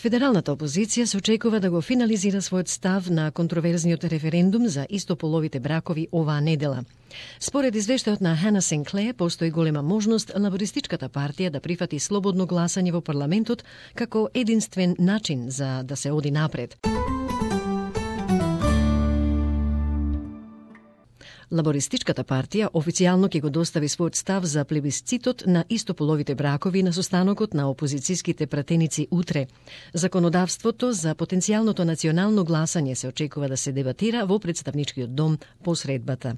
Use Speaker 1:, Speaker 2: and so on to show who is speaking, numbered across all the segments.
Speaker 1: Федералната опозиција се очекува да го финализира својот став на контроверзниот референдум за истополовите бракови оваа недела. Според извештајот на Хана Синклеер, постои голема можност лабористичката партија да прифати слободно гласање во парламентот како единствен начин за да се оди напред. Лабористичката партија официјално ќе го достави својот став за плебисцитот на истополовите бракови на состанокот на опозицијските пратеници утре. Законодавството за потенцијалното национално гласање се очекува да се дебатира во представничкиот дом по средбата.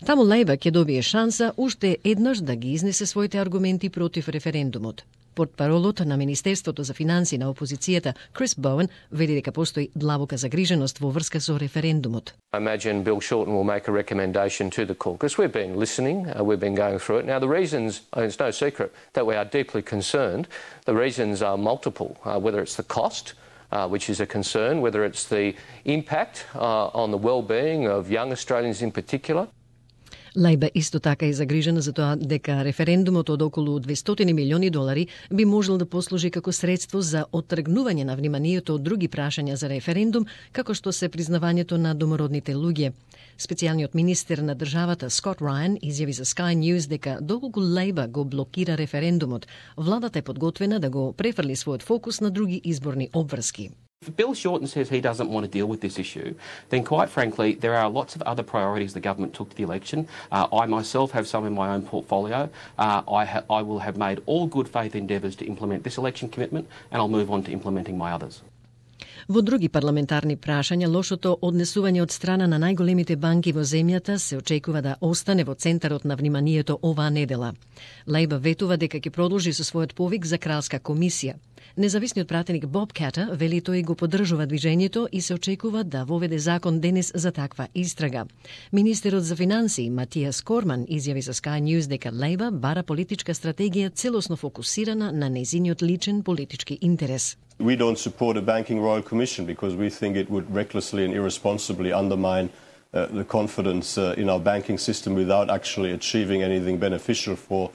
Speaker 1: Таму Лејбер ќе добие шанса уште еднаш да ги изнесе своите аргументи против референдумот. Портпаролот на Министерството за финансии на опозицијата Крис Боуен вели дека постои длабока загриженост во врска со референдумот.
Speaker 2: I imagine Bill Shorten will make a recommendation to the caucus. We've been listening, we've been going through it. Now the reasons, it's no secret that we are deeply concerned. The reasons are multiple, whether it's the cost, which is a concern, whether it's the impact on the well-being of young Australians in particular.
Speaker 1: Лајба исто така е загрижена за тоа дека референдумот од околу $200 милиони би можел да послужи како средство за оттргнување на вниманието од други прашања за референдум, како што се признавањето на домородните луѓе. Специјалниот министер на државата Скот Рајан изјави за Sky News дека доколку Лајба го блокира референдумот, владата е подготвена да го префрли својот фокус на други изборни обврски.
Speaker 3: If Bill Shorten says he doesn't want to deal with this issue, then quite frankly, there are lots of other priorities the government took to the election. I myself have some in my own portfolio. I will have made all good faith endeavours to implement this election commitment, and I'll move on to implementing my others.
Speaker 1: Во други парламентарни прашања, лошото однесување од страна на најголемите банки во земјата се очекува да остане во центарот на вниманието оваа недела. Лајба ветува дека ќе продолжи со својот повик за кралска комисија. Независниот пратеник Боб Катер вели тој го поддржува движењето и се очекува да воведе закон денес за таква истрага. Министерот за финансии Матијас Корман изјави за Sky News дека Лајба бара политичка стратегија целосно фокусирана на нејзиниот личен политички интерес.
Speaker 4: We don't support a banking royal commission because we think it would recklessly and irresponsibly undermine the confidence in our banking system without actually achieving anything beneficial for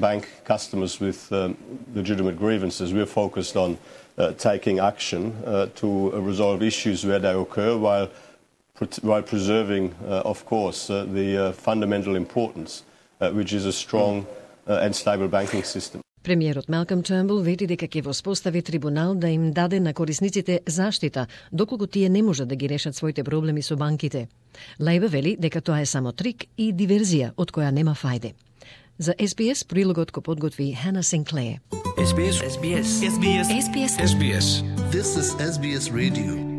Speaker 4: bank customers with legitimate grievances. We're focused on taking action to resolve issues where they occur while preserving, of course, the fundamental importance, which is a strong and stable banking system.
Speaker 1: Премиерот Малком Тернбул вели дека ќе воспостави трибунал да им даде на корисниците заштита, доколку тие не можат да ги решат своите проблеми со банките. Лајба вели дека тоа е само трик и диверзија од која нема фајде. За SBS прилогот го подготви Хана Синклеер.
Speaker 5: SBS.
Speaker 1: SBS. SBS.
Speaker 5: SBS.
Speaker 6: This is SBS Radio.